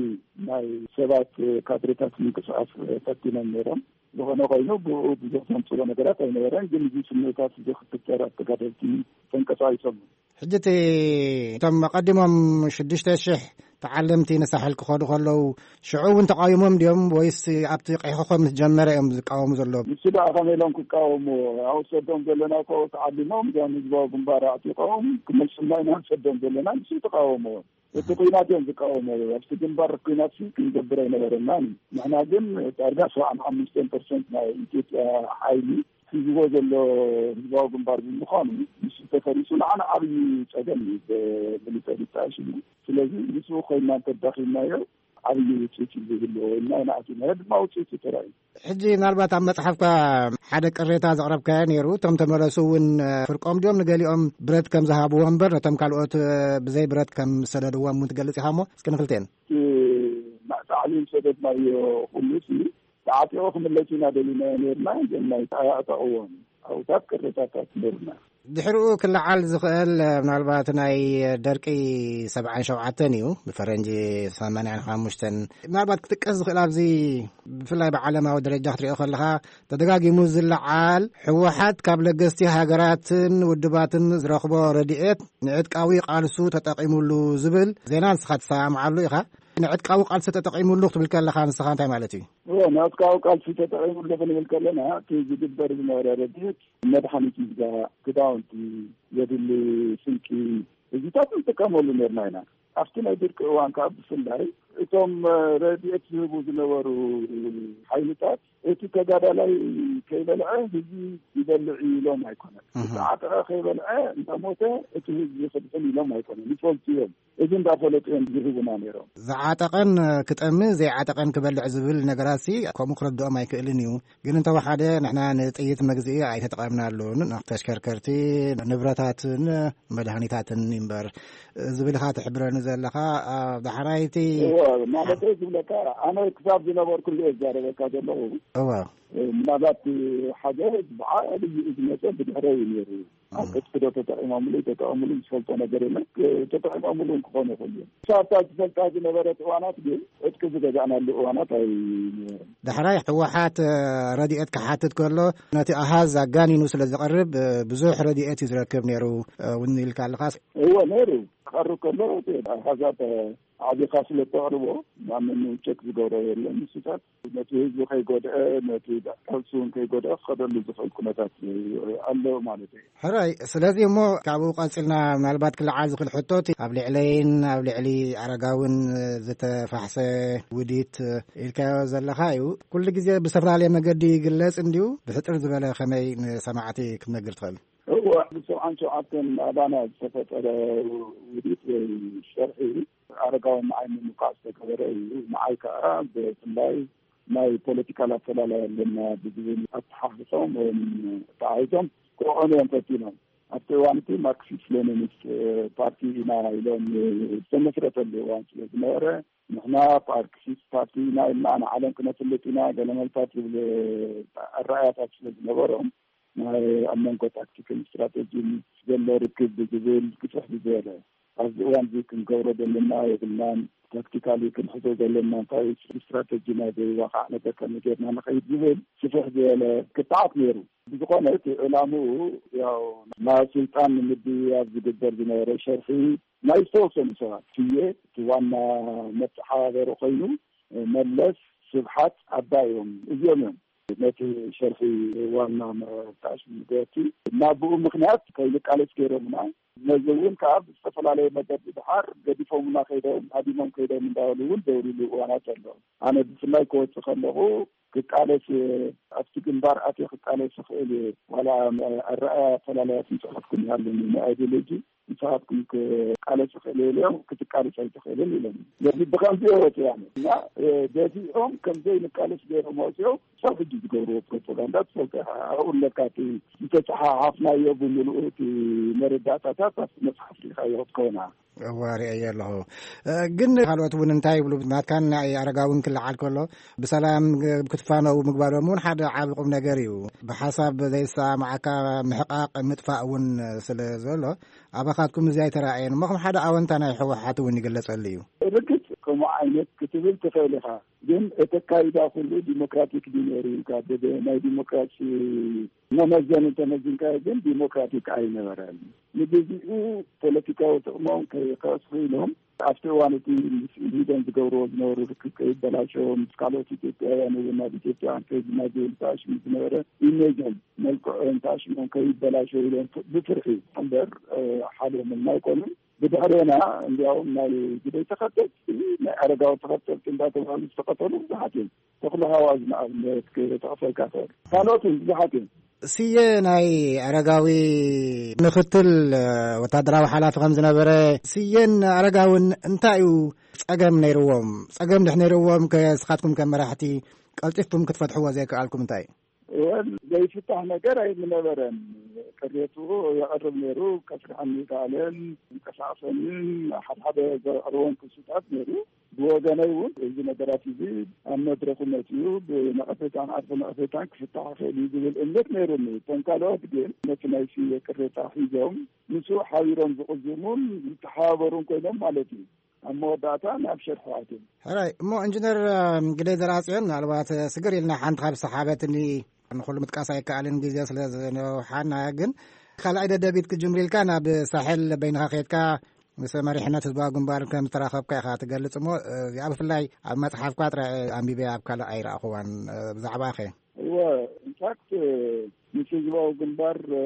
ናይ ሰባት ካድሬታት ምንቅስቃስ ፈቲኖም ነይሮም። ዝኾነ ኮይኑ ብኡ ብዙሕ ዘምፅኦ ነገራት ኣይነበረን፣ ግን እዚ ስምዒታት እዚ ክፍጠር ኣብ ተጋደልቲ ተንቀሳቒሶም። ሕጂ እቲ እቶም ኣቐዲሞም ሽዱሽተ ሽሕ ተዓለምቲ ንሳሕል ክኸዱ ከለዉ ሽዑ እውን ተቃዊሞም ድዮም ወይስ ኣብቲ ቀይሕኾም ምስ ጀመረ እዮም ዝቃወሙ ዘለዉ? ንሱ ደኣ ከመይ ኢሎም ክቃወሙ? ኣውሰዶም ዘለና እኮ ተዓሊሞም እዚኦም ህዝባዊ ግንባር ኣዕጢቆም ክመልሱልና ኢና ንሰዶም ዘለና፣ ንሱ ተቃወሞ። እቲ ኩናት እዮም ዝቃወሞ። ኣብቲ ግንባር ኩናት ሲ ክንገብር ኣይነበረናን። ንሕና ግን ዳርጋ ሰብዓን ሓሙሽተን ፐርሰንት ናይ ኢትዮጵያ ሓይሊ ሒዝዎ ዘሎ ህዝባዊ ግንባር ብምዃኑ፣ ንሱ ተፈሪሱ ንዓና ዓብዪ ጸገም እዩ፣ ብሚሊተሪ ተኣሽሙ። ስለዚ ንሱ ኮይና እንተዳኺምናዮ ዓብዪ ውፅኢት እዩ ዝህልዎ ኢልና ኢና ኣቲና። ድማ ውፅኢት እዩ ተራእዩ። ሕጂ ምናልባት ኣብ መጽሓፍካ ሓደ ቅሬታ ዘቕረብካዮ ነይሩ። እቶም ተመለሱ እውን ፍርቆም ድዮም ንገሊኦም ብረት ከም ዝሃብዎ እምበር ነቶም ካልኦት ብዘይ ብረት ከም ዝሰደድዎም እውን ትገልጽ ኢኻ እሞ እስኪ ንክልቴን። እቲ ታዕሊም ሰደድናዮ ኩሉ ሲ ተዓጢቑ ክምለስ ኢና ደሊና ነርና፣ ግን ናይ ኣዕጠቕዎም ኣብታት ቅሬታታት ነርና። ድሕሪኡ ክለዓል ዝኽእል ምናልባት ናይ ደርቂ ሰብዓን ሸውዓተን እዩ፣ ብፈረንጂ ሰማንያን ሓሙሽተን። ምናልባት ክጥቀስ ዝኽእል ኣብዚ ብፍላይ ብዓለማዊ ደረጃ ክትሪኦ ከለኻ ተደጋጊሙ ዝለዓል፣ ህወሓት ካብ ለገስቲ ሃገራትን ውድባትን ዝረኽቦ ረድኤት ንዕጥቃዊ ቃልሱ ተጠቒሙሉ ዝብል ዜና ንስኻ ትሰማምዓሉ ኢኻ። ንዕጥቃዊ ቃልሲ ተጠቒሙሉ ክትብል ከለኻ ንስኻ እንታይ ማለት እዩ? እዎ፣ ንዕጥቃዊ ቃልሲ ተጠቒሙሉ ክንብል ከለና፣ እቲ ዝግበር ዝነበረ ረድኤት፣ መድሓኒት ምሕዛ፣ ክዳውንቲ፣ ዘድሊ ስንቂ፣ እዚታት ንጥቀመሉ ነርና ኢና። ኣብቲ ናይ ድርቂ እዋን ከዓ ብፍላይ እቶም ረድኤት ዝህቡ ዝነበሩ ሓይልታት፣ እቲ ተጋዳላይ ከይበልዐ ህዝቢ ይበልዕ እዩ ኢሎም ኣይኮነን። እህ። ዝተዓጠቐ ከይበልዐ እንተሞተ እቲ ህዝቢ ክድሕን ኢሎም ኣይኮነን፣ ይፈልጡ እዮም። እዚ እንዳፈለጡ እዮም ዝህቡና ነይሮም። ዝዓጠቐን ክጠሚ፣ ዘይዓጠቐን ክበልዕ ዝብል ነገራት ሲ ከምኡ ክረድኦም ኣይክእልን እዩ። ግን እንተወሓደ ንሕና ንጥይት መግዝኢ ኣይተጠቐምናሉን፣ ተሽከርከርቲ፣ ንብረታትን መድሃኒታትን እምበር ዝብል ኢኻ ትሕብረኒ ዘለኻ። ኣብ ዳሕራይቲ እወ፣ ማለት ዝብለካ፣ ኣነ ክሳብ ዝነበርኩሉ እየ ዝዛረበካ ዘለኹ። እወ። ምናልባት ሓደ ብዓብዩ ዝመፀ ብድሕረ እዩ ነይሩ። ኣብ ዕጥቂ ዶ ተጠቒሞምሉ፣ ተጠቐሙሉ ዝፈልጦ ነገር የለን። ተጠቒሞምሉ እውን ክኾኑ ይኽእሉ እዮም። ሳብታ ዝፈልጣ ዝነበረት እዋናት ግን ዕጥቂ ዝገዛእናሉ እዋናት ኣይነበረን። ዳሕራይ ህወሓት ረድኤት ክሓትት ከሎ ነቲ ኣሃዝ ኣጋኒኑ ስለ ዝቐርብ ብዙሕ ረድኤት እዩ ዝረክብ ነይሩ እውን ኢልካ ኣለኻስ? እወ፣ ነይሩ። ክቐርብ ከሎ እቲ ኣሃዛት ኣዕቢኻ ስለ እተቕርቦ፣ ማንም ቸክ ዝገብሮ የለን። ንሱታት ነቲ ህዝቢ ከይጎድአ፣ ነቲ ቃልሲ እውን ከይጎድአ ክኸደሉ ዝኽእል ኩነታት ኣሎ ማለት እዩ። ሕራይ፣ ስለዚ እሞ ካብኡ ቀጺልና ምናልባት ክለዓል ዝኽእል ሕቶ እቲ ኣብ ልዕለይን ኣብ ልዕሊ ኣረጋውን ዝተፋሕሰ ውዲት ኢልካዮ ዘለኻ እዩ። ኩሉ ግዜ ብዝተፈላለየ መገዲ ይግለጽ እንድዩ፣ ብሕጽር ዝበለ ከመይ ንሰማዕቲ ክትነግር ትኽእል? እወ፣ ብሰብዓን ሸውዓተን ኣባና ዝተፈጠረ ውዲት ወይ ሸርሒ ኣረጋዊ ንዓይ ንምውቃዕ ዝተገበረ እዩ። ንዓይ ከዓ ብፍላይ ናይ ፖለቲካል ኣፈላላይ ኣለና ብዝብል ኣተሓሕዞም ወይም ተዓይዞም ክቕዕኑ እዮም ፈቲኖም። ኣብቲ እዋን እቲ ማርክሲስት ሌኒኒስት ፓርቲ ኢና ኢሎም ዝተመስረተሉ እዋን ስለ ዝነበረ፣ ንሕና ማርክሲስት ፓርቲ ኢና ኢልና ንዓለም ክነፍልጥ ኢና፣ ገለ መልታት ዝብል ኣረኣያታት ስለ ዝነበሮም፣ ናይ ኣብ መንጎ ታክቲክን ስትራቴጂን ዘሎ ርክብ ብዝብል ግፍሕ ብዝበለ ኣብዚ እዋን እዚ ክንገብሮ ዘለና የብልናን፣ ታክቲካሊ ክንሕዞ ዘለና እንታይ ስትራቴጂ ናይ ዘይዋቃዕ ነገር ከመይ ጌርና ንኸይድ ዝብል ስፍሕ ዝበለ ክትዓት ነይሩ። ብዝኾነ እቲ ዕላምኡ ያው ናብ ስልጣን ንምድያብ ዝግበር ዝነበረ ሸርሒ ናይ ዝተወሰኑ ሰባት ስየ እቲ ዋና መተሓባበሪ ኮይኑ፣ መለስ፣ ስብሓት፣ ኣባይ እዮም። እዚኦም እዮም ነቲ ሸርሒ ዋና መጣሽ ገቲ ናብኡ ምኽንያት ከይንቃለስ ገይሮምና። ነዚ እውን ከዓ ብዝተፈላለየ መገዲ ድሓር ገዲፎምና ከይዶም፣ ሃዲሞም ከይዶም እንዳበሉ እውን ዘውርሉ እዋናት ኣለዉ። ኣነ ብፍላይ ክወፅእ ከለኹ ክቃለስ እየ፣ ኣብቲ ግንባር ኣትየ ክቃለስ ይኽእል እየ፣ ዋላ ኣረኣያ ኣፈላላያት ንስኻትኩም ይሃሉኒ፣ ንኣይዲዮሎጂ ንስኻትኩም ክቃለስ ይኽእል እየ ኢሎም፣ ክትቃለስ ኣይትኽእልን ኢሎም። ስለዚ ብኸምዚ እዮም ወፂኦም እና፣ እ፣ ገዚኦም ከም ዘይንቃለስ ገይሮም ወፂኦም። ክሳብ ሕጂ ዝገብርዎ ፕሮፓጋንዳ ትፈልጦ ኢኻ። ኣብኡ ኣለካ፣ እቲ ዝተፀሓሓፍናዮ ብምልኡ እቲ መረዳእታታት ኣብቲ መፅሓፍ ርኢኻዮ ክትከውን ኢኻ። እወ፣ ርእየ ኣለኹ። እ፣ ግን ካልኦት እውን እንታይ ይብሉ? ናትካን ናይ ኣረጋውን ክለዓል ከሎ ብሰላም ክትፋነው ምግባሮም እውን ሓደ ዓቢ ቁም ነገር እዩ። ብሓሳብ ዘይሰማማዓካ ምሕቃቕ ምጥፋእ እውን ስለ ዘሎ ኣባኻትኩም እዚ ኣይተራእየን እሞ ከም ሓደ ኣወንታ ናይ ህወሓት እውን ይግለጸሉ እዩ። ርግጽ ከምኡ ዓይነት ክትብል ትኽእል ኢኻ፣ ግን እቲ ኣካይዳ ኩሉ ዲሞክራቲክ ድዩ ነይሩ ኢልካ ብናይ ዲሞክራሲ መመዘኒ እንተመዚንካዮ ግን ዲሞክራቲክ ኣይነበረን። ንግዚኡ ፖለቲካዊ ጥቕሞም ከይኸስሩ ኢሎም ኣብቲ እዋን እቲ ምስ ኢህዴን ዝገብርዎ ዝነበሩ ርክብ ከይበላሸው፣ ምስ ካልኦት ኢትዮጵያውያን እውን ናብ ኢትዮጵያውያን ከይድና ዝብል ተኣሽሙ ዝነበረ ኢሜጆም፣ መልክዖም፣ ተኣሽሞም ከይበላሸው ኢሎም ብፍርሒ እምበር፣ እ፣ ሓልዮምልና ኣይኮኑን። ብድሕሬና እንዲያውም ናይ ግደይ ተኸተልቲ፣ ናይ ኣረጋዊ ተኸተልቲ እንዳተባሃሉ ዝተቐተሉ ብዙሓት እዮም። ተኽሉ ሃዋዝ ንኣብነት ክጠቕሰልካ እኽእል። ካልኦት እውን ብዙሓት እዮም። ስየ ናይ ኣረጋዊ ምኽትል፣ እ፣ ወታደራዊ ሓላፊ ከም ዝነበረ፣ ስየን ኣረጋውን እንታይ እዩ ጸገም ነይርዎም? ጸገም ድሕ ነይርዎም ከ፣ ስኻትኩም ከም መራሕቲ ቀልጢፍኩም ክትፈትሕዎ ዘይከኣልኩም እንታይ እዩ? ወል ዘይፍታሕ ነገር ኣይምነበረን። ቅሬቱ የቕርብ ነይሩ፣ ከስርሐኒ ይከኣለን፣ ይንቀሳቐሰንን፣ ሓደ ሓደ ዘቕርቦም ክሱታት ነይሩ። ብወገነይ እውን እዚ ነገራት እዚ ኣብ መድረኹ መጺኡ ብነቐፌታን ዓርፊ ነቐፌታን ክፍታሕ ይኽእል እዩ ዝብል እምነት ነይሩኒ። እቶም ካልኦት ግን ነቲ ናይ ስየ ቅሬታ ሒዞም ምስኡ ሓቢሮም ዝቕዝሙን ዝተሓባበሩን ኮይኖም ማለት እዩ። ኣብ መወዳእታ ናብ ሸርሒ ኣትዮም። ሕራይ እሞ፣ ኢንጂነር፣ እም፣ ግደይ ዘርኣጽዮን፣ ምናልባት፣ እ፣ ስግር ኢልና ሓንቲ ካብ ዝሰሓበትኒ፣ ንኹሉ ምጥቃስ ኣይከኣልን ግዜ ስለ ዝነውሓና፣ ግን ካልኣይ ደደቢት ክጅምር ኢልካ ናብ ሳሕል በይንኻ ከይድካ ምስ መሪሕነት ህዝባዊ ግንባር ከም ዝተራኸብካ ኢኻ ትገልጽ እሞ፣ እ፣ እዚኣ ብፍላይ ኣብ መጽሓፍካ ጥራይ ኣንቢበያ፣ ኣብ ካልእ ኣይረኣኹዋን። እ፣ ብዛዕባኸ? እወ፣ ኢንፋክት፣ ምስ ህዝባዊ ግንባር፣ እ፣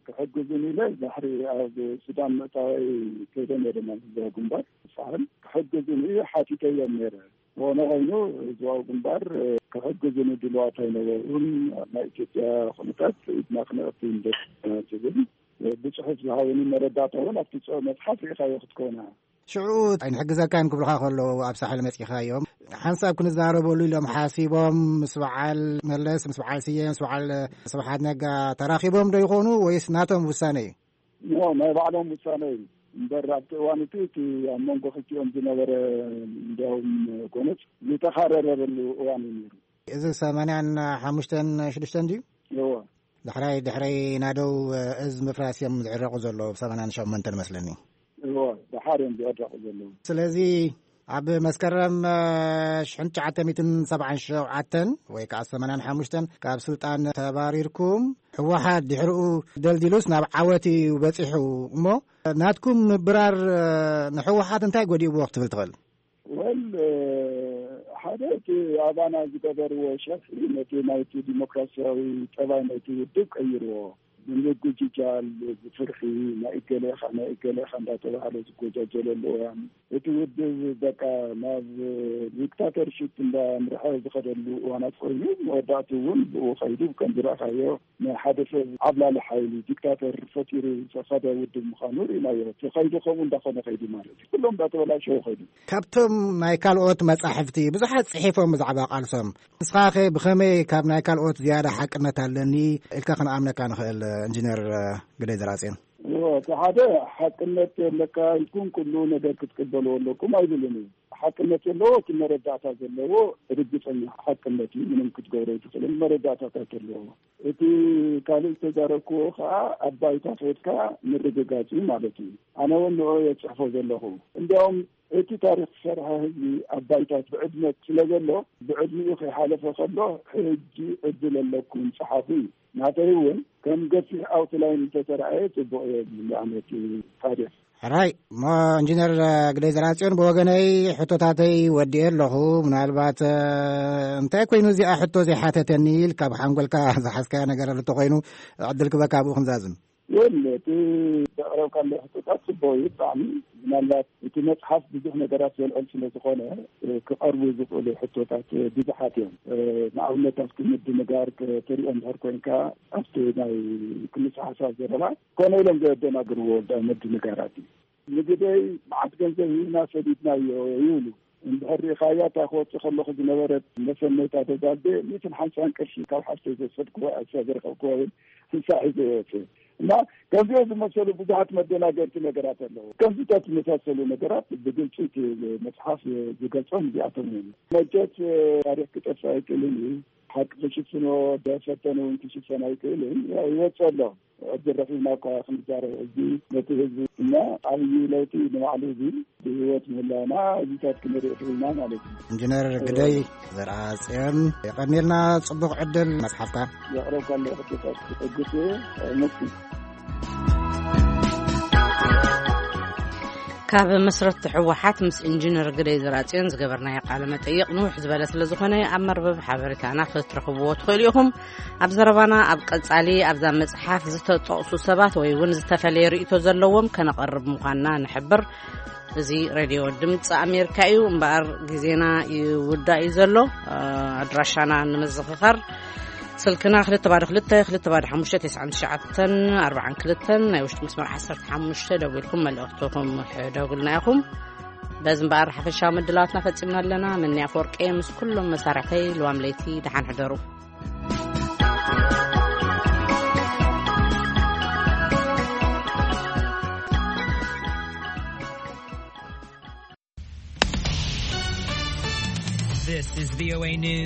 ክሕግዙን ኢለ ባሕሪ ኣብ ሱዳን ምእታወይ ከይደ ነይረ ናብ ህዝባዊ ግንባር ሳሕል ክሕግዙን እዩ ሓቲተዮም ነይረ። ዝኾነ ኮይኑ ህዝባዊ ግንባር፣ እ፣ ክሕግዙን ድልዋት ኣይነበሩን። ኣብ ናይ ኢትዮጵያ ኩነታት ኢድና ክነእቱ እንደና ዝብል፣ እ፣ ብጽሑፍ ዝሃቡኒ መረዳእታ እውን ኣብቲ ጽሑፍ መጽሓፍ ርኢኻዮ ክትከውና። ሽዑ ኣይንሕግዘካን ክብሉኻ ከለዉ ኣብ ሳሕል መጺኻዮም፣ ሓንሳብ ክንዛረበሉ ኢሎም ሓሲቦም ምስ በዓል መለስ፣ ምስ በዓል ስየ፣ ምስ በዓል ስብሓት ነጋ ተራኺቦም ዶ ይኾኑ ወይስ ናቶም ውሳነ እዩ? ኖ፣ ናይ ባዕሎም ውሳነ እዩ። እምበር ኣብቲ እዋን እቲ፣ እቲ ኣብ መንጎ ክልቲኦም ዝነበረ እንዲያውም ጎነጽ ዝተኻረረሉ እዋን እዩ ነይሩ። እዚ ሰማንያን ሓሙሽተን ሽዱሽተን ድዩ? እወ። ዳሕራይ ድሕረይ ናደው እዝ ምፍራስ እዮም ዝዕረቑ ዘለዉ፣ ብ ሰማንያን ሸሞንተን መስለኒ። እወ፣ ደሓር እዮም ዝዕረቑ ዘለዉ። ስለዚ ኣብ መስከረም፣ እ፣ ሽሕን ትሽዓተ ሚእትን ሰብዓን ሸውዓተን ወይ ከዓ ሰማንያን ሓሙሽተን ካብ ስልጣን ተባሪርኩም፣ ህወሓት ድሕሪኡ ደልዲሉስ ናብ ዓወት እዩ በፂሑ። እሞ ናትኩም ምብራር፣ እ፣ ንህወሓት እንታይ ጎዲእዎ ክትብል ትኽእል? ወል፣ እ፣ ሓደ እቲ ኣባና ዝገበርዎ ሸርሒ ነቲ ናይቲ ዲሞክራሲያዊ ጠባይ ናይቲ ውድብ ቀይርዎ። ብምጉጅጃል፣ ብፍርሒ፣ ናይ እገሌ ኢኻ፣ ናይ እገሌ ኢኻ እንዳተባሃለ ዝጎጃጀለሉ እዋን፣ እቲ ውድብ በቃ ናብ ዲክታተርሺፕ እንዳምርሐ ዝኸደሉ እዋናት ኮይኑ፣ መወዳእቱ እውን ብኡ ኸይዱ ከም ዝረእኻዮ ናይ ሓደ ሰብ ዓብላሊ ሓይሊ ዲክታተር ፈጢሩ ዝኸደ ውድብ ምዃኑ ርኢናዮ። እቲ ኸይዱ ከምኡ እንዳኾነ ኸይዱ ማለት እዩ። ኩሎም እንዳተበላሸው ኸይዱ። ካብቶም ናይ ካልኦት መጻሕፍቲ ብዙሓት ጽሒፎም ብዛዕባ ቃልሶም፣ ንስኻኸ ብኸመይ ካብ ናይ ካልኦት ዝያዳ ሓቅነት ኣለኒ ኢልካ ክንኣምነካ ንኽእል? ኢንጂነር ግደይ ዘርኣጽዮን። እዎ፣ እቲ ሓደ ሓቅነት ኣለካ ኢልኩም ኩሉ ነገር ክትቅበልዎ ኣለኩም ኣይብልን እዩ። ሓቅነት ዘለዎ እቲ መረዳእታ ዘለዎ ርግጸኛ ሓቅነት እዩ። ምንም ክትገብሮ ኣይትኽእልን፣ መረዳእታታት ኣለዎ። እቲ ካልእ ዝተዛረብክዎ ከዓ ኣብ ባይታ ከይድካ ምርግጋጽ እዩ ማለት እዩ። ኣነ እውን ንዑ እየ ዝጽሕፎ ዘለኹ። እንዲያውም እቲ ታሪኽ ዝሰርሐ ህዝቢ ኣብ ባይታ ብዕድመት ስለ ዘሎ፣ ብዕድሚኡ ከይሓለፈ ከሎ ሕጂ ዕድል ኣለኩም ጸሓፉ እዩ። ናተይ እውን ከም ገፊሕ ኣውትላይን እንተተረኣየ ጽቡቕ እየ ዝብል ኣነ እቲ ታሪኽ። ሕራይ እሞ፣ ኢንጂነር ግደይ ዘርኣጽዮን፣ ብወገነይ ሕቶታተይ ወዲኤ ኣለኹ። ምናልባት፣ እ፣ እንታይ ኮይኑ እዚኣ ሕቶ ዘይሓተተኒ ኢልካ ብሓንጎልካ ዝሓዝካዮ ነገር ኣሎ እንተኾይኑ፣ ዕድል ክበካ ኣብኡ ክንዛዝም። የለ፣ እቲ ዘቕረብካለይ ሕቶታት ጽቡቕ እዩ ብጣዕሚ። ምናልባት እቲ መጽሓፍ ብዙሕ ነገራት ዘልዕል ስለ ዝኾነ፣ እ፣ ክቐርቡ ዝኽእሉ ሕቶታት፣ እ፣ ብዙሓት እዮም። እ፣ ንኣብነት ኣብቲ ምድንጋር ክ-፣ ትሪኦ እንድሕር ኮይንካ፣ ኣብቲ ናይ ክልሰ ሓሳብ ዘረባ ኮነ ኢሎም ዘደናግርዎ ወልዳ ምድንጋራት እዩ። ንግደይ መዓት ገንዘብ ሂብና ሰዲድናዮ ይብሉ። እንድሕር ርኢኻያ፣ እታ ክወጽእ ከለኹ ዝነበረት መሰነይታ ደብዳቤ፣ ሚእትን ሓምሳን ቅርሺ ካብ ሓፍተይ ዝወሰድኩዋ፣ እሳ ዝረኸብኩዋ እውን፣ ንሳ ሒዘ ይወጽእ። እና ከምዚኦ ዝመሰሉ ብዙሓት መደናገርቲ ነገራት ኣለዉ። ከምዚታት ዝመሳሰሉ ነገራት ብግልፂ እቲ መፅሓፍ ዝገልፆም እዚኣቶም እዮም። መቸት ታሪክ ክጠፍእ ኣይክእልን እዩ። ሓቂ ክሽፍኖ፣ ደፈተነ እውን ክሽፈን ኣይክእልን። ያው ይወፅእ ኣሎ። ዕድል ረኺብና እኳ ክንዛረብ፣ እዚ ነቲ ህዝቢ እና ዓብዪ ለውጢ ንባዕሉ እዚ ብህይወት ምህላውና እዚታት ክንርኢ ክኢልና ማለት እዩ። ኢንጂነር ግደይ ዘርኣጽዮን፣ የቐንየልና፣ ጽቡቕ ዕድል መጽሓፍካ። የቕረብካለይ ሕቶታት ክጠግስ እየ። መስኪን። ካብ መስረቲ ህወሓት ምስ ኢንጂነር ግደይ ዘርኣጽዮን ዝገበርናዮ ቃለ መጠይቕ ንውሕ ዝበለ ስለ ዝኾነ፣ ኣብ መርበብ ሓበሬታና ክትረኽብዎ ትኽእሉ ኢኹም። ኣብ ዘረባና ኣብ ቀጻሊ፣ ኣብዛ መጽሓፍ ዝተጠቕሱ ሰባት ወይ እውን ዝተፈለየ ርእይቶ ዘለዎም ከነቐርብ ምዃንና ንሕብር። እዚ ሬድዮ ድምፂ ኣሜሪካ እዩ። እምበኣር፣ ግዜና ይውዳእ እዩ ዘሎ። ኣድራሻና ንምዝኽኻር፣ ስልክና ክልተ ባዶ ክልተ፣ ክልተ ባዶ ሓሙሽተ፣ ተስዓን ትሽዓተን ኣርባዓን ክልተን፣ ናይ ውሽጢ መስመር ዓሰርተ ሓሙሽተ ደዊልኩም መልእኽትኹም ሕደጉልና ኢኹም። በዚ እምበኣር፣ ሓፈሻዊ ምድላዋትና ፈጺምና ኣለና። ምንያ ኣፈወርቂ ምስ ኩሎም መሳርሕተይ፣ ልዋም ለይቲ ደሓን ሕደሩ። This is VOA News.